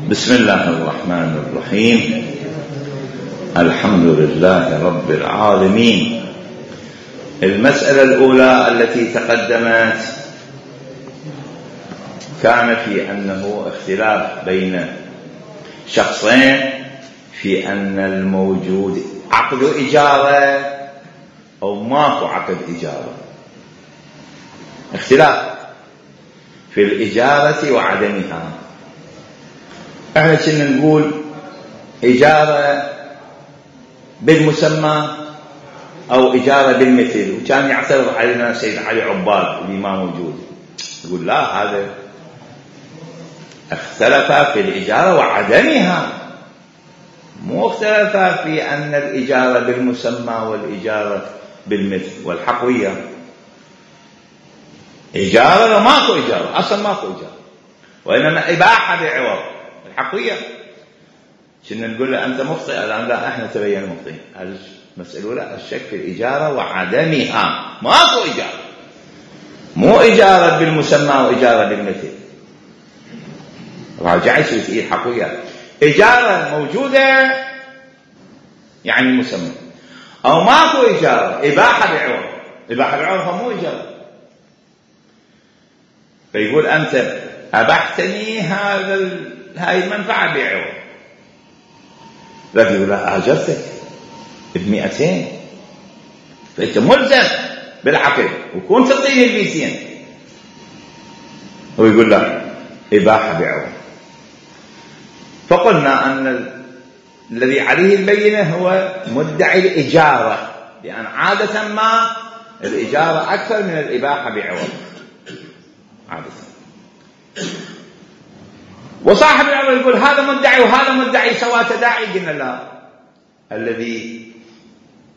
بسم الله الرحمن الرحيم. الحمد لله رب العالمين. المسألة الأولى التي تقدمت كان في أنه اختلاف بين شخصين في أن الموجود عقد إجارة أو ماكو عقد إجارة، اختلاف في الإجارة وعدمها. احنا كنا نقول إجارة بالمسمى أو إجارة بالمثل، وكان يعترض علينا سيد علي عباد اللي ما موجود، يقول لا، هذا اختلف في الإجارة وعدمها، مو اختلف في أن الإجارة بالمسمى والإجارة بالمثل. والحقوية إجارة وماكو إجارة، أصلا ماكو إجارة، وإنما إباحة بعوض. الحقوية كنا نقول له أنت مخطئ، الآن لا، احنا تبين مخطئين. المسألة لا، الشك في الإجارة وعدمها، ماكو إجارة، مو إجارة بالمسمى وإجارة بالمثل. راجع يصير في الحقوية إجارة موجودة يعني مسمى، أو ماكو إجارة إباحة بعوض. إباحة بعوض مو إجارة. فيقول أنت أبحتني هاي المنفعة بعوض، لكن يقول لا، أجرتك ب200، فأنت ملزم بالعقد وكنت تعطيني ال200. ويقول لا، إباحة بعوض. فقلنا أن الذي عليه البينة هو مدعي الإجارة، لأن عادة ما الإجارة أكثر من الإباحة بعوض عادة. وصاحب الأمر يقول هذا مدعي وهذا مدعي سواء تداعي. قلنا لا، الذي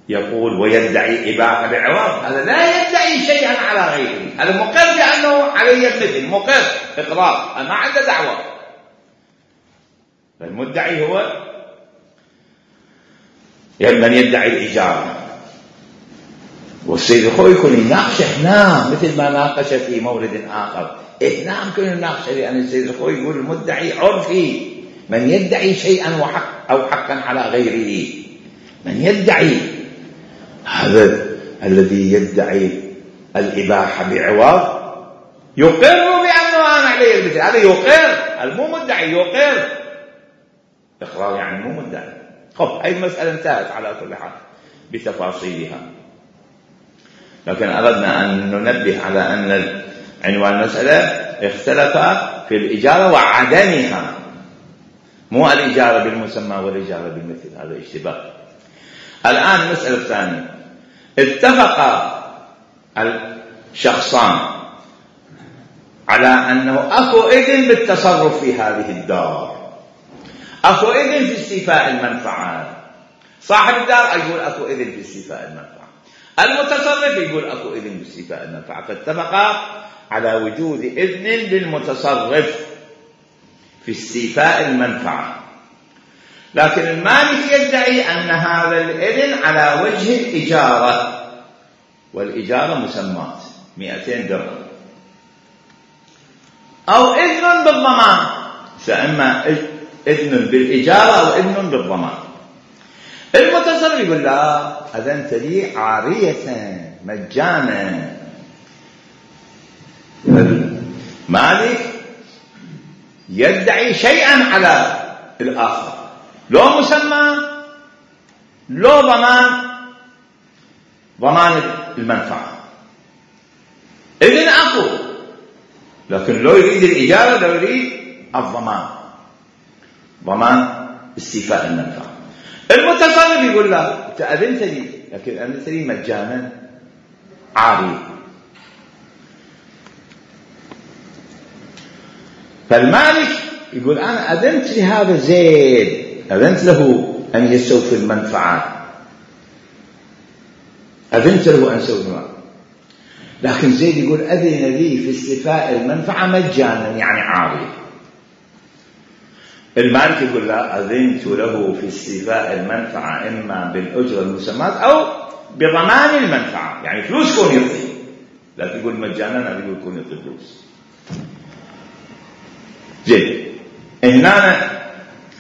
يقول ويدعي إباحة بعوض هذا لا يدعي شيئا على غيره، هذا مقر بأنه عليه المثل، مقر إقرار، ما عنده دعوة. فالمدعي هو من يدعي الإجارة. والسيد الخوي يكون يناقش هنا مثل ما ناقش في مورد آخر. هنا يمكن يناقش، لأن السيد الخوي يقول المدعي عرفي، من يدعي شيئا أو حقا على غيره. من يدعي، هذا الذي يدعي الإباحة بعوض يقر بأنه أنا عليه المثل، هذا يقر، المو مدعي يقر. إقرار يعني مو مدعي. خب، هاي المسألة انتهت على كل حال بتفاصيلها، لكن أردنا أن ننبه على أن عنوان المسألة اختلف في الإجارة وعدمها، مو الإجارة بالمسمى والإجارة بالمثل، هذا اشتباه. الآن المسألة الثانية، اتفق الشخصان على أنه أكو إذن بالتصرف في هذه الدار، أكو إذن في استيفاء المنفعة. صاحب الدار يقول أكو إذن في استيفاء المنفعة، المتصرف يقول أكو إذن في استيفاء المنفعة. فاتفقا على وجود إذن للمتصرف في استيفاء المنفعة، لكن المالك يدعي أن هذا الإذن على وجه الإجارة، والإجارة مسمات 200 درهم، أو إذن بالضمان، فإما إذن بالإجارة أو إذن بالضمان. المتصرف يقول لا، أذنت لي عارية مجانا. المالك يدعي شيئا على الآخر، لو مسمى لو ضمان المنفعة، إذن أكو، لكن لو يريد الإجارة، لو يريد الضمان، ضمان استيفاء المنفعة. المتصرف يقول لا، أنت أذنت لي، لكن أذنت لي مجانا عاري. فالمالك يقول أنا أذنت لهذا زيد، أذنت له أن يستوفي المنفعة، أذنت له أن يستوفي المنفعة، لكن زيد يقول أذن لي في استيفاء المنفعة مجانا يعني عاري. المالك يقول لا، أذنت له في استيفاء المنفعة إما بالأجرة المسمات أو بضمان المنفعة، يعني فلوس كون يعطي، لا تقول مجانا، لا تقول كون يعطي فلوس. زين، هنا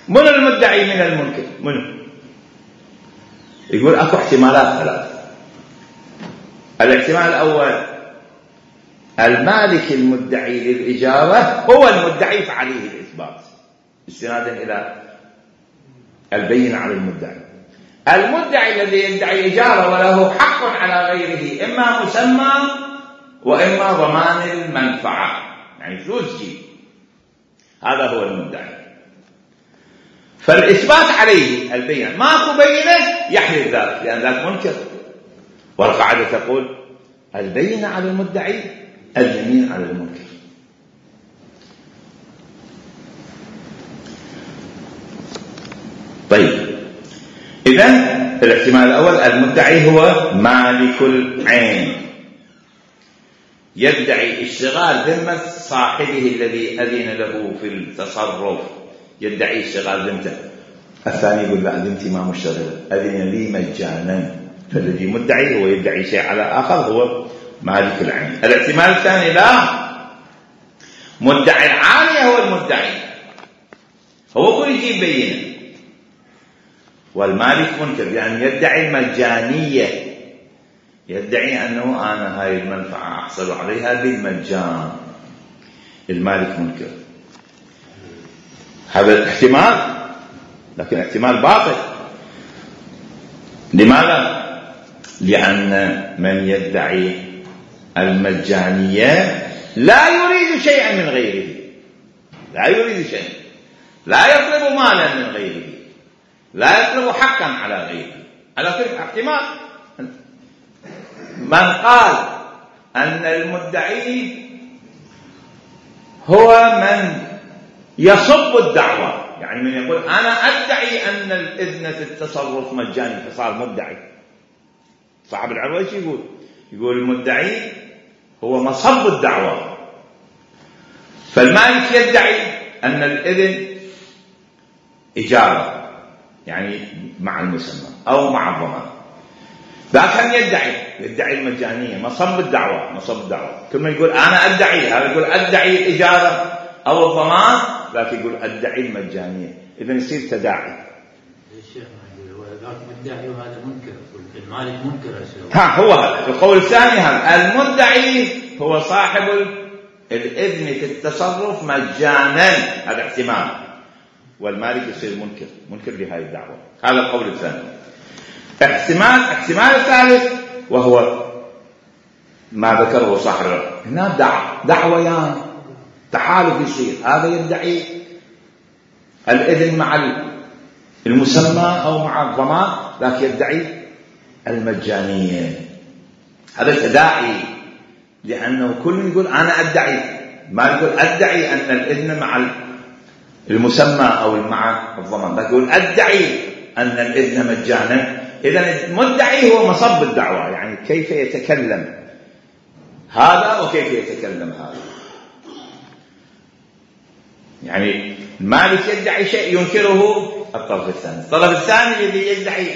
من المدعي من المنكر؟ منه؟ يقول اكو احتمالات ثلاث. الاحتمال الاول المالك المدعي للإجارة هو المدعي فعليه الإثبات استنادا إلى البينة على المدعي. المدعي الذي يدعي إجارة وله حق على غيره إما مسمى وإما ضمان المنفعة، يعني فلوس جيب، هذا هو المدعي. فالإثبات عليه البينة، ماكو بينة يحلف ذلك لأن ذاك منكر، والقاعدة تقول البينة على المدعي اليمين على المنكر. طيب إذن الاحتمال الأول المدعي هو مالك العين يدعي اشتغال ذمة صاحبه الذي أذن له في التصرف، يدعي اشتغال ذمته. الثاني يقول لا ذمتي ما مشتغلة، أذن لي مجانا. فالذي مدعي هو يدعي شيء على آخر هو مالك العين. الاحتمال الثاني لا، مدعي العالية هو المدعي، هو كل يجيب بينه، والمالك منكر يعني يدعي المجانية، يدعي أنه أنا هاي المنفعة أحصل عليها بالمجان، المالك منكر. هذا الاحتمال، لكن احتمال باطل. لماذا؟ لأن من يدعي المجانية لا يريد شيئا من غيره، لا يريد شيئا، لا يطلب مالا من غيره، لا يطلب حقا على غيره. على كل احتمال من قال أن المدعي هو من يصب الدعوة، يعني من يقول أنا أدعي أن الإذن في التصرف مجاني فصار مدعي. صاحب العروة يقول المدعي هو مصب الدعوة. فالمالك يدعي أن الإذن إجارة يعني مع المسمى أو مع الضمان، لكن يدعي المجانية، مصب الدعوة، مصب الدعوة. كل ما يقول أنا أدعي، هذا يقول أدعي الإجارة أو الضمان، لكن يقول أدعي المجانية. إذن يصير تداعي. الشيخ يقول ذاك مدعي وهذا منكر، المالك منكر. هو هذا القول الثاني، هذا المدعي هو صاحب الإذن في التصرف مجانا، هذا احتمال، والمالك يصير منكر لهذه الدعوة. هذا القول الثاني. احتمال الثالث وهو ما ذكره صاحب هنا دعويان تحالف يصير، هذا يدعي الإذن مع المسمى أو مع الضمان، لكن يدعي المجانية. هذا تداعي، لأنه كل يقول أنا أدعي، ما يقول أدعي أن الإذن مع المسمى أو مع الضمان، لكن يقول أدعي أن الإذن مجانا. إذن المدعي هو مصب الدعوة، يعني كيف يتكلم هذا وكيف يتكلم هذا. يعني المالك يدعي شيء ينكره الطرف الثاني، الطرف الثاني الذي يدعي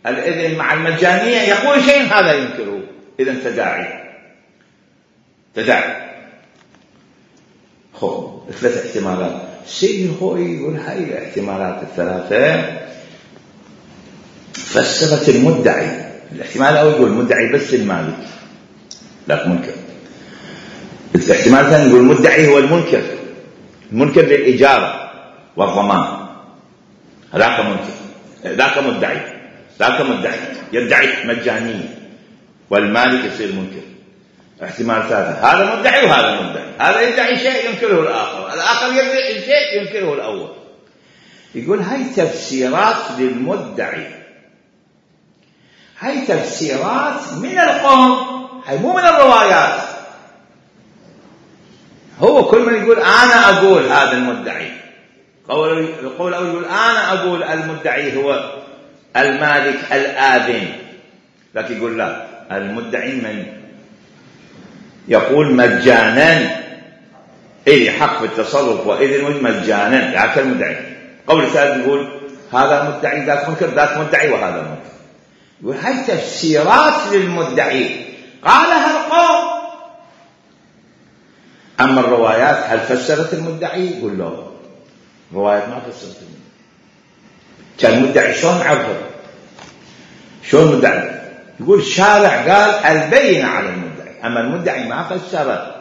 الإذن مع المجانية يقول شيء هذا ينكره. إذن تداعي. ثلاث احتمالات. السيد الخوئي يقول هاي الاحتمالات الثلاثة فسرت المدعي. الاحتمال الأول يقول المدعي بس المالك لا منكر. الاحتمال الثاني يقول المدعي هو المنكر للإجارة والضمان، ذاك مدعي يدعي مجانية والمالك يصير منكر. احتمال ثالث، هذا مدعي وهذا مدعي، هذا يدعي شيء ينكره الآخر يدعي شيء ينكره الأول. يقول هاي تفسيرات للمدعي، هاي تفسيرات من القوم، هاي مو من الروايات. هو كل من يقول أنا أقول هذا المدعي، قول يقول أنا أقول المدعي هو المالك الآذن، لكن يقول لا، المدعي من يقول مجانا إلي حق في التصرف وإذن مجانا، ذاك المدعي. قول ثالث يقول هذا مدعي ذاك منكر، ذاك مدعي وهذا منكر. يقول هاي تفسيرات للمدعي قالها القوم. أما الروايات هل فسرت المدعي؟ يقول له الروايات ما فسرت المدعي. كان المدعي شلون عرفه؟ شلون المدعي؟ يقول الشارع قال البينة على المدعي، أما المدعي ما فسر،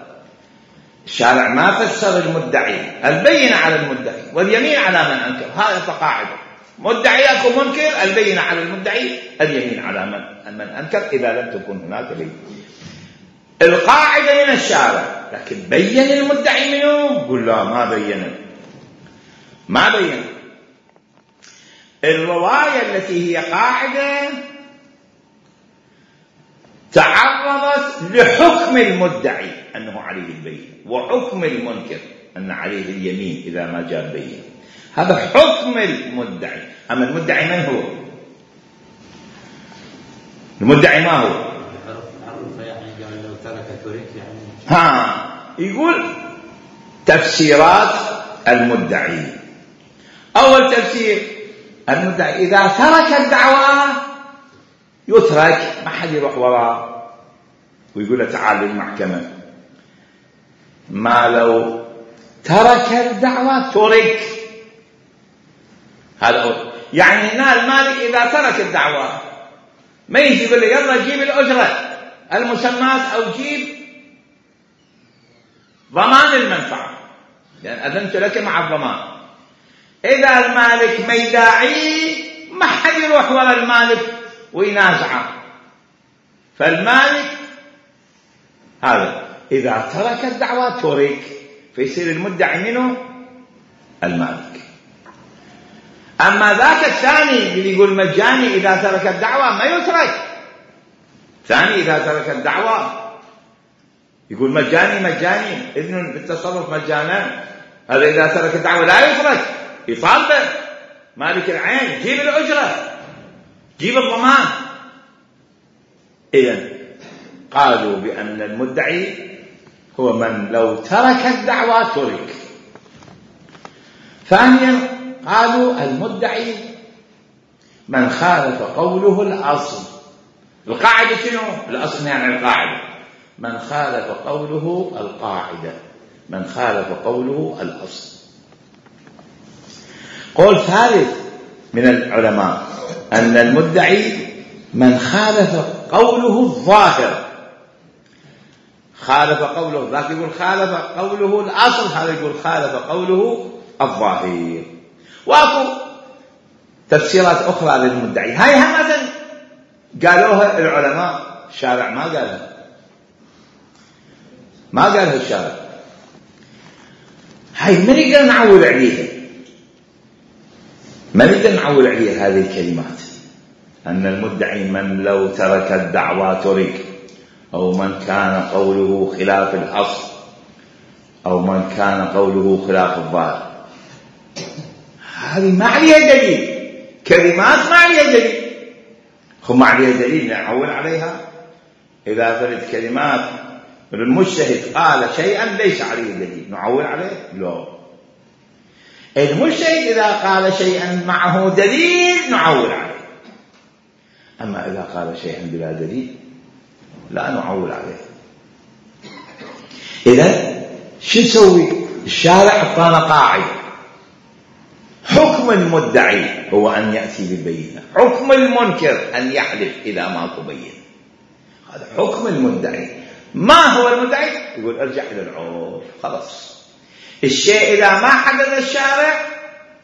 الشارع ما فسر المدعي، البينة على المدعي واليمين على من أنكر. هذا قاعدة، مدعي أكو منكر، البينة على المدعي، اليمين على من أنكر إذا لم تكن هناك بينة. القاعدة من الشارع، لكن بين المدعي منه؟ قل لا، ما بين. الرواية التي هي قاعدة تعرضت لحكم المدعي أنه عليه البينة، وحكم المنكر أن عليه اليمين إذا ما جاء بينة. هذا حكم المدعي. أما المدعي من هو؟ المدعي ما هو؟ يعني لو ترك ترك يعني. يقول تفسيرات المدعي. أول تفسير، المدعي إذا ترك الدعوة يترك، ما حد يروح وراه ويقول له تعال للمحكمة. ما لو ترك الدعوة ترك. هذا يعني هنا المالك إذا ترك الدعوة ما يجي يقول له يلا جيب الأجرة المسمات أو جيب ضمان المنفعة لأن أذنت لك مع الضمان. إذا المالك ما يداعي ما حد يروح وراء المالك وينازعه. فالمالك هذا إذا ترك الدعوة ترك، فيصير المدعي منه المالك. أما ذاك الثاني اللي يقول مجاني إذا ترك الدعوة ما يترك. ثاني إذا ترك الدعوة يقول مجاني إذن بالتصرف مجانا، هذا إذا ترك الدعوة لا يترك، يطالبه مالك العين جيب الأجرة جيب الضمان. إذن قالوا بأن المدعي هو من لو ترك الدعوة ترك. ثانيا قالوا المدعي من خالف قوله الأصل. القاعدة شنو؟ الأصل يعني القاعدة. من خالف قوله القاعدة، من خالف قوله الأصل. قول ثالث من العلماء أن المدعي من خالف قوله الظاهر. خالف قوله، ذاك يقول خالف قوله الأصل، هذا يقول خالف قوله الظاهر. واكو تفسيرات أخرى للمدعي، هاي همة قالوها العلماء، الشارع ما قالها الشارع. هاي ما نقدر نعول عليها، ما نقدر نعول عليها هذه الكلمات، أن المدعي من لو ترك الدعوة ترك، أو من كان قوله خلاف الأصل، أو من كان قوله خلاف الظاهر. هذه ما عليها دليل، كلمات ما عليها دليل. ما عليها دليل نعول عليها. إذا فرد كلمات المجتهد قال شيئا ليس عليه دليل نعول عليه؟ لا. المجتهد إذا قال شيئا معه دليل نعول عليه. أما إذا قال شيئا بلا دليل لا نعول عليه. إذن شو نسوي؟ الشارع أعطانا قاعدة، حكم المدعي هو أن يأتي بالبينة، حكم المنكر أن يحلف إذا ما تبين. هذا حكم المدعي. ما هو المدعي؟ يقول ارجع إلى العرف. خلاص الشيء إذا ما حدد الشارع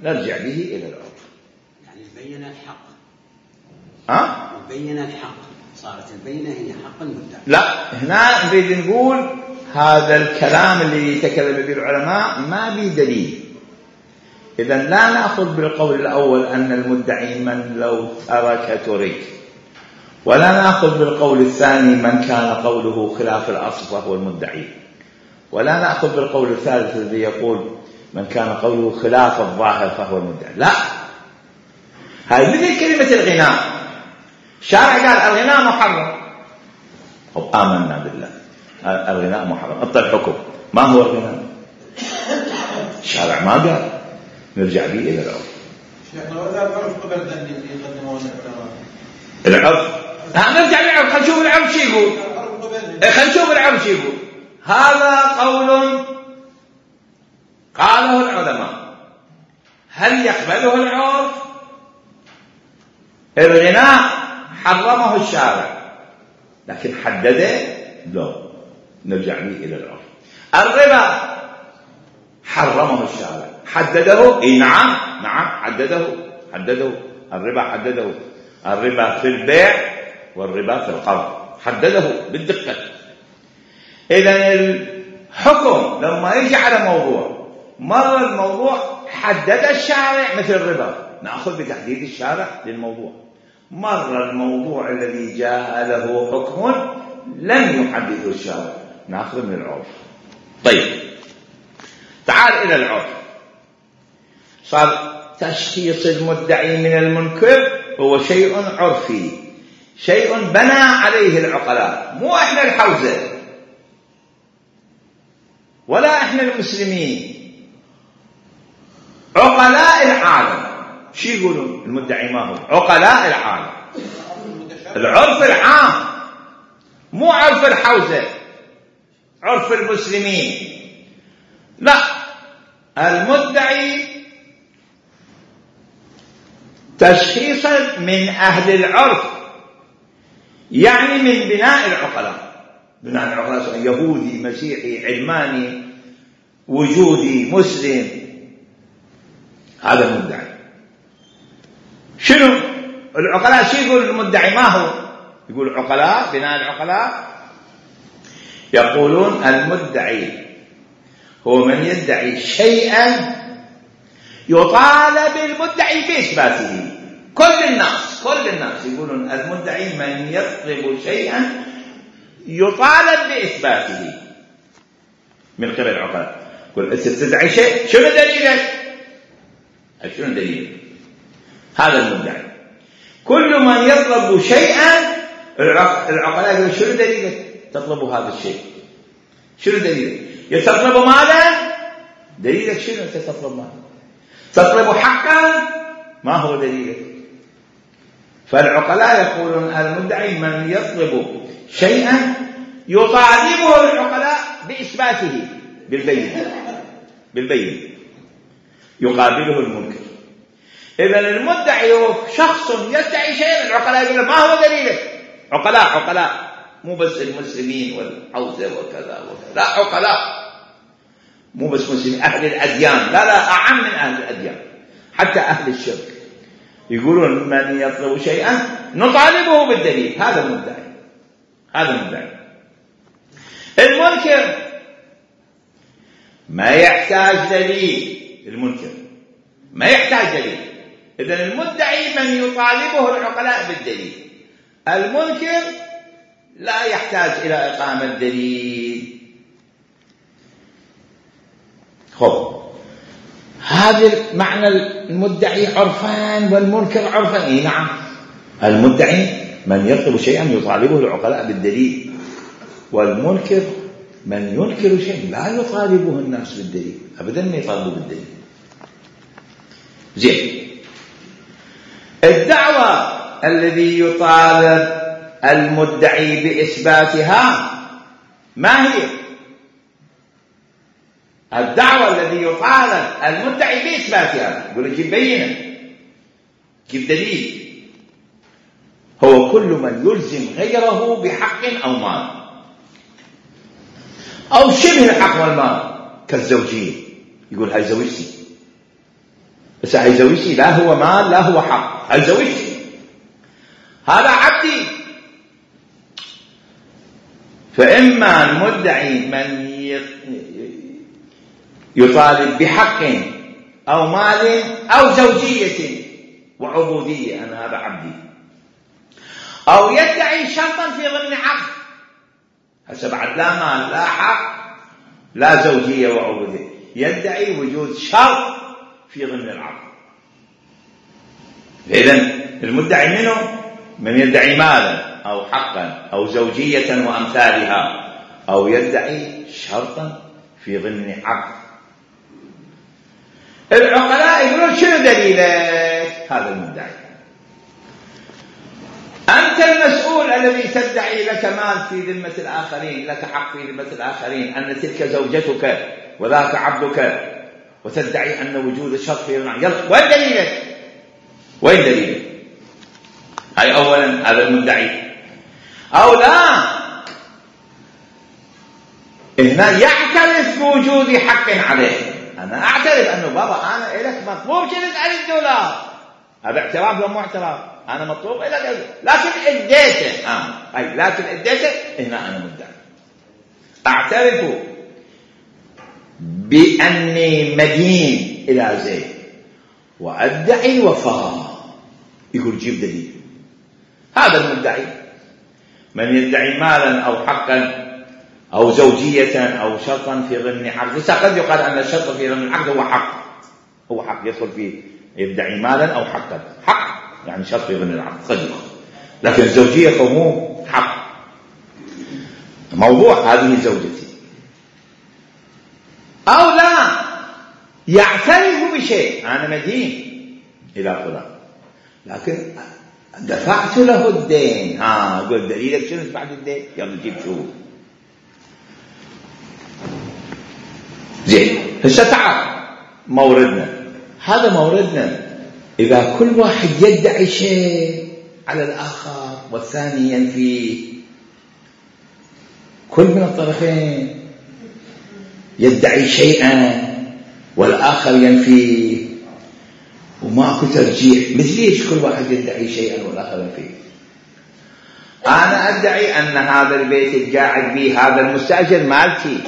نرجع به إلى العرف. يعني البينة الحق. البينة الحق، صارت البينة هي حق المدعي. لا، هنا نريد نقول هذا الكلام اللي يتكلم به العلماء ما به دليل. إذن لا نأخذ بالقول الأول أن المدعي من لو ترك ترك، ولا نأخذ بالقول الثاني من كان قوله خلاف الأصل فهو المدعي، ولا نأخذ بالقول الثالث الذي يقول من كان قوله خلاف الظاهر فهو المدعي. لا، هذه مثل كلمة الغناء. الشارع قال الغناء محرم، آمنا بالله الغناء محرم، أعطى الحكم. ما هو الغناء؟ الشارع ما قال، نرجع به إلى العرف. شيخنا وإذا العرف قبل أن يقدمون العرف، نرجع للعرف. خلينا نشوف العرف شو يقول. خلينا نشوف العرف شو يقول. هذا قول قاله العلماء، هل يقبله العرف؟ الغناء حرمه الشارع لكن حدده لا، نرجع به إلى العرف. الربا حرمه الشارع، حدده؟ نعم حدده. الربا حدده، الربا في البيع والربا في القرض، حدده بالدقة. إذن الحكم لما يجي على موضوع، مرة الموضوع حدد الشارع مثل الربا، نأخذ بتحديد الشارع للموضوع. مرة الموضوع الذي جاء له حكم لم يحدده الشارع، نأخذ من العرف. طيب تعال إلى العرف. صار تشخيص المدعي من المنكر هو شيء عرفي، شيء بنى عليه العقلاء، مو احنا الحوزة ولا احنا المسلمين، عقلاء العالم. شو يقولون المدعي ما هو؟ عقلاء العالم، العرف العام، مو عرف الحوزة، عرف المسلمين. لا، المدعي تشخيصا من أهل العرف، يعني من بناء العقلاء. بناء العقلاء سواء يهودي، مسيحي، علماني، وجودي، مسلم، هذا المدعي. شنو العقلاء؟ شو يقول المدعي ما هو؟ يقول عقلاء، بناء العقلاء يقولون المدعي هو من يدعي شيئا يطالب المدعي بإثباته. كل الناس يقولون المدعي من يطلب شيئا يطالب بإثباته من قبل العقلاء. يقول أنت تدعي شيء، شنو دليلك؟ شنو دليلك؟ هذا المدعي. كل من يطلب شيئا العقلاء يقولون شنو دليلك تطلب هذا الشيء؟ شنو دليلك؟ يتطلب ماذا؟ دليلك شنو أنت تطلب ماذا؟ تطلب حقا؟ ما هو دليلك؟ فالعقلاء يقولون المدعي من يطلب شيئا يطالبه العقلاء بإثباته بالبينة يقابله المنكر. إذن المدعي هو شخص يدعي شيئا، العقلاء يقولون ما هو دليلك؟ عقلاء مو بس المسلمين والحوزة وكذا وكذا، لا، عقلاء مو بس مسلمين، أهل الأديان، لا أعم من أهل الأديان، حتى أهل الشرك يقولون من يطلب شيئا نطالبه بالدليل. هذا المدعي. المنكر ما يحتاج دليل، المنكر ما يحتاج دليل. إذن المدعي من يطالبه العقلاء بالدليل، المنكر لا يحتاج إلى إقامة دليل. هذا معنى المدعي عرفان والمنكر عرفان. نعم، المدعي من يطلب شيئا يطالبه العقلاء بالدليل، والمنكر من ينكر شيئا لا يطالبه الناس بالدليل أبدا، ما يطالبه بالدليل. زين، الدعوة الذي يطالب المدعي بإثباتها ما هي؟ الدعوة الذي يطالب المدعي بإثباتها يقول جيب بينة، جيب دليل. هو كل من يلزم غيره بحق أو مال أو شبه الحق والمال، كالزوجية. يقول هاي زوجتي، بس هاي زوجتي لا هو مال لا هو حق، هاي زوجتي، هذا عبدي. فإما المدعي من يطالب بحق أو مال أو زوجية وعبودية، أنا هذا عبدي، أو يدعي شرطا في ضمن عقد، هسه بعد لا مال لا حق لا زوجية وعبودية، يدعي وجود شرط في ضمن العقد. إذن المدعي منه من يدعي مالا أو حقا أو زوجية وأمثالها، أو يدعي شرطا في ضمن عقد. العقلاء يقولون شنو دليلك؟ هذا المدعي. أنت المسؤول الذي تدعي لك مال في ذمة الآخرين، لك حق في ذمة الآخرين، أن تلك زوجتك وذاك عبدك، وتدعي أن وجود الشرط في ضمن. يلا، وين دليلك؟ هاي أولا هذا المدعي. أو لا، هنا يعترف بوجود حق عليه. أنا أعترف أنه بابا أنا إلك مطلوب $10,000، هذا اعتراف ولا مو اعتراف؟ أنا مطلوب إلك لكن اديته، أي لكن اديته، هنا أنا مدعي. أعترف بأني مدين إلى زيد وأدعي الوفاء. يقول جيب دليل. هذا المدعي. من يدعي مالا أو حقا أو زوجية أو شرطا في ضمن عقد، قد يقال أن الشرط في ضمن العقد هو حق، هو حق يدخل فيه، يدعي مالا أو حقا، حق يعني شرط في ضمن العقد قد يدخل، لكن الزوجية فهو حق، موضوع هذه زوجتي. أو لا، يعترف بشيء، أنا مدين إلى فلان لكن دفعت له الدين. قل دليلك شنو بعد الدين؟ يلا جيب شو. زين، هسه تعال موردنا، هذا موردنا. إذا كل واحد يدعي شيء على الآخر والثاني ينفيه، كل من الطرفين يدعي شيئا والآخر ينفيه وماكو ترجيح، مثل ليش كل واحد يدعي شيئا والآخر ينفيه؟ أنا أدعي أن هذا البيت القاعد به هذا المستأجر مالتي،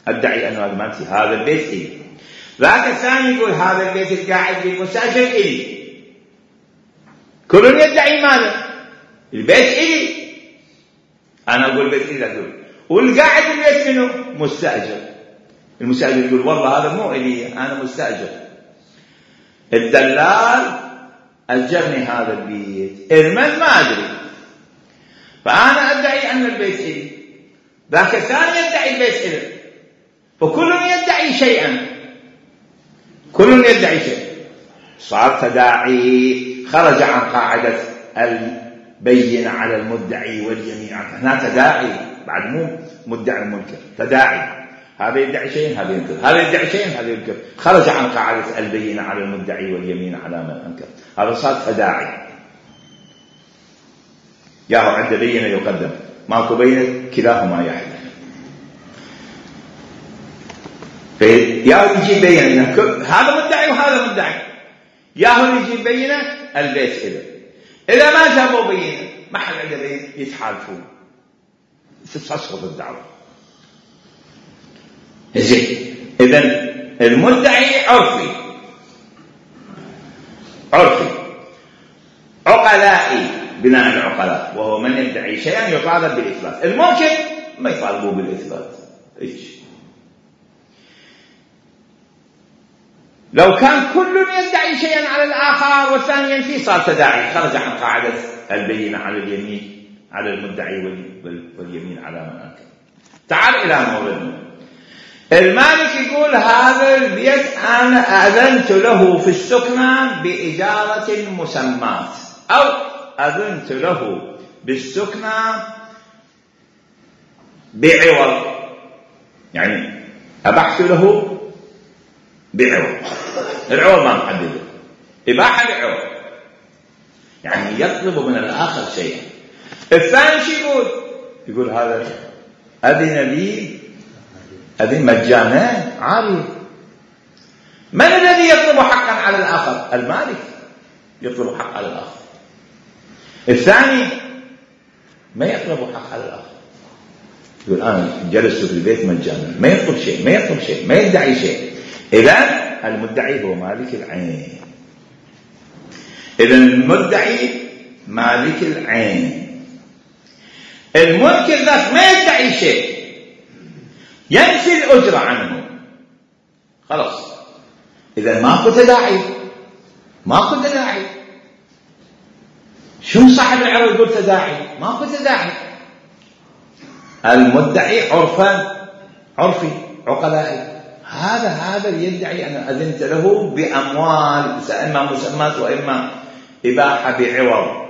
أدعي أنه هذا مالتي، هذا البيت إلي. ذاك الثاني يقول هذا البيت القاعد به المستأجر إلي. كل يدعي ماذا؟ البيت إلي. أنا أقول البيت إلي، أقول والقاعد البيت منه مستأجر. المستأجر يقول والله هذا مو إلي، أنا مستأجر. الدلال أجرني هذا البيت، المن ما أدري، فأنا أدعي أن البيت إلي، ذاك الثاني يدعي البيت إلي، فكل يدعي شيئا، كل يدعي شيء، صار تداعي، خرج عن قاعدة البين على المدعي واليمين عنه. هنا تداعي بعد، مو مدعي المنكر، تداعي، هذا يدعي شيء هذا ينكر، هذا يدعي شيء هذا ينكر، خرج عن قاعدة البين على المدعي واليمين على من أنكر، هذا صار تداعي. ياهو عند بينة يقدم، ماكو بينة كلاهما يحدث. ياهو يجي بينة، هذا مدعي وهذا مدعي، ياهو يجي بينة البيت إذا ما جابوا بينة ما حد عنده بينة يتحالفون، تسقط الدعوة. زين، إذن المدعي عرفي، عقلائي بناء العقلاء، وهو من يدعي شيئا يطالب بالإثبات. الممكن ما يطالبوا بالإثبات. لو كان كل يدعي شيئا على الآخر والثاني ينفي، صار تداعي، خرج عن قاعدة البينة على اليمين على المدعي واليمين على من أنكر. تعال إلى موردنا. المالك يقول هذا البيت أنا أذنت له في السكنة بإجارة مسمات، أو أذنت له بالسكنة بعوض، يعني أبحت له بعوض، العوض ما محدده، إباحة بعوض، يعني يطلب من الآخر شيئا. الثاني شو يقول هذا أذن لي أذن مجانا عاري. من الذي يطلب حقا على الآخر؟ المالك يطلب حق على الآخر. الثاني ما يطلب حق على الآخر، يقول أنا جلست في البيت مجانا، ما يطلب شيء، ما يطلب شيء، ما يدعي شيء. إذن المدعي هو مالك العين. إذن المدعي مالك العين. المنكر ذات ما يدعي شيء، ينفي الأجرة عنه، خلاص. إذن ماكو تداعي، ماكو تداعي. شو صاحب العرض يقول تداعي؟ ماكو تداعي. المدعي عرفي عقلائي، هذا يدعي أن أذنت له بأموال، إما مسمات وإما إباحة بعوض،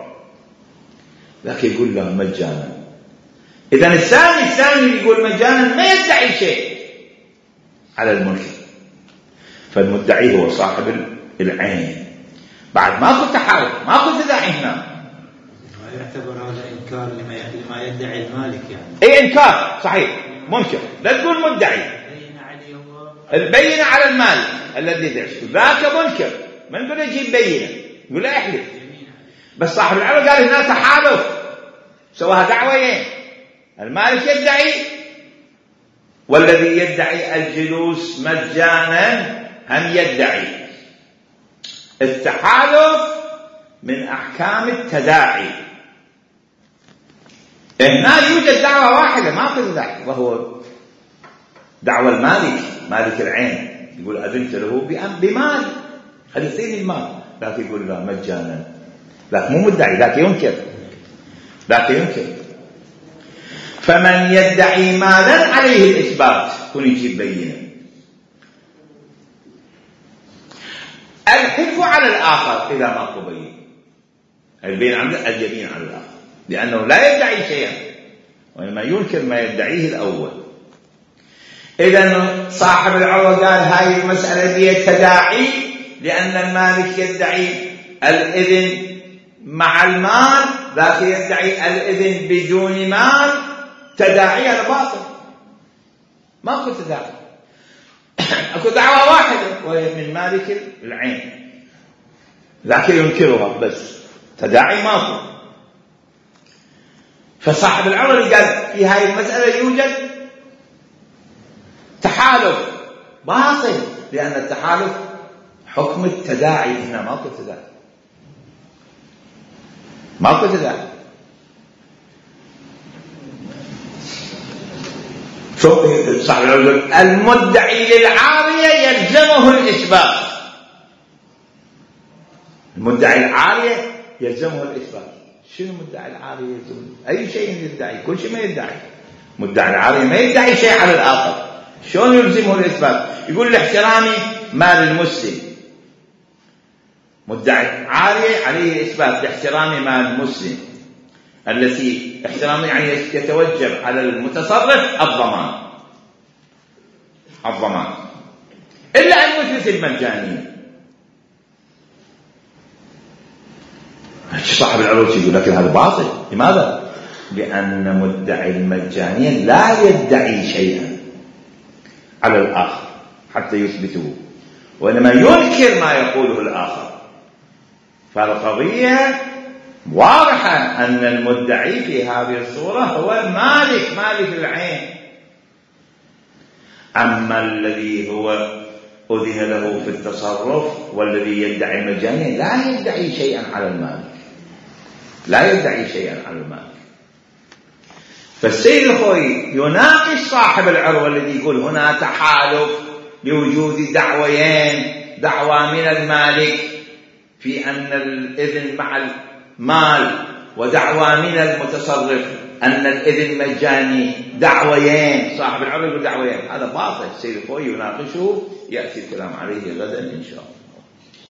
لكن يقول له مجانا. إذن الثاني يقول مجانا، ما يدعي شيء على المنكر. فالمدعي هو صاحب العين، بعد ماكو تحالف، ماكو تداعي هنا. ما يعتبر هذا إنكار لما يدعي المالك يعني. اي انكار صحيح منكر، لا تقول مدعي. البينة على المال الذي يدعي ذاك منكر، ما نقول يجيب بينة، يقول لا يحلف. بس صاحب العرض قال هنا تحالف، سواها دعوين، المالك يدعي والذي يدعي الجلوس مجانا هم يدعي. التحالف من أحكام التداعي. هنا يوجد دعوة واحدة ما في تداعي، وهو دعوة المالك، مالك العين، يقول أذنت له بمال، خلي يعطيني المال، لكن يقول لا مجانا، لكن مو مدعي، لكن ينكر. فمن يدعي مالا عليه الإثبات كن يجيب بينه. الحلف على الآخر إذا ماكو بينة، اليمين على الآخر، لأنه لا يدعي شيئا وإنما ينكر ما يدعيه الأول. إذن صاحب العروة قال هاي المسألة هي تداعي، لأن المالك يدعي الإذن مع المال، ذاك يدعي الإذن بدون مال، تداعي على باطل، ماكو تداعي. اكو دعوة واحدة وهي من مالك العين، لكن ينكرها، بس تداعي ماكو. فصاحب العرض قال في هاي المسألة يوجد تحالف باطل، لأن التحالف حكم التداعي، هنا ماكو تداعي. صاحب العرض المدعي للعارية يلزمه الإثبات، المدعي العارية يلزمه الإثبات. شنو مدعي العارية يلزمه؟ أي شيء يدعي، كل شيء ما يدعي. مدعي العارية ما يدعي شيء على الآخر، شلون يلزمه الإثبات؟ يقول لاحترامي مال المسلم، مدعي عارية عليه إثبات لاحترام مال المسلم، التي احترامه يعني يتوجب على المتصرف الضمان، إلا أن يثبت المجانية. صاحب العروض يقول لكن هذا باطل. لماذا؟ لأن مدعي المجانية لا يدعي شيئا على الآخر حتى يثبته، وإنما ينكر ما يقوله الآخر. فالقضية واضحة أن المدعي في هذه الصورة هو المالك، مالك العين. أما الذي هو أذن له في التصرف والذي يدعي المجانية لا يدعي شيئا على المالك، فالسيد الخوي يناقش صاحب العروة الذي يقول هنا تحالف لوجود دعوين، دعوة من المالك في أن الإذن مع المال، ودعوة من المتصرف أن الإذن مجاني، دعوين. صاحب العروة يقول دعوين، هذا باطل. السيد الخوي يناقشه، يأتي الكلام عليه غدا إن شاء الله.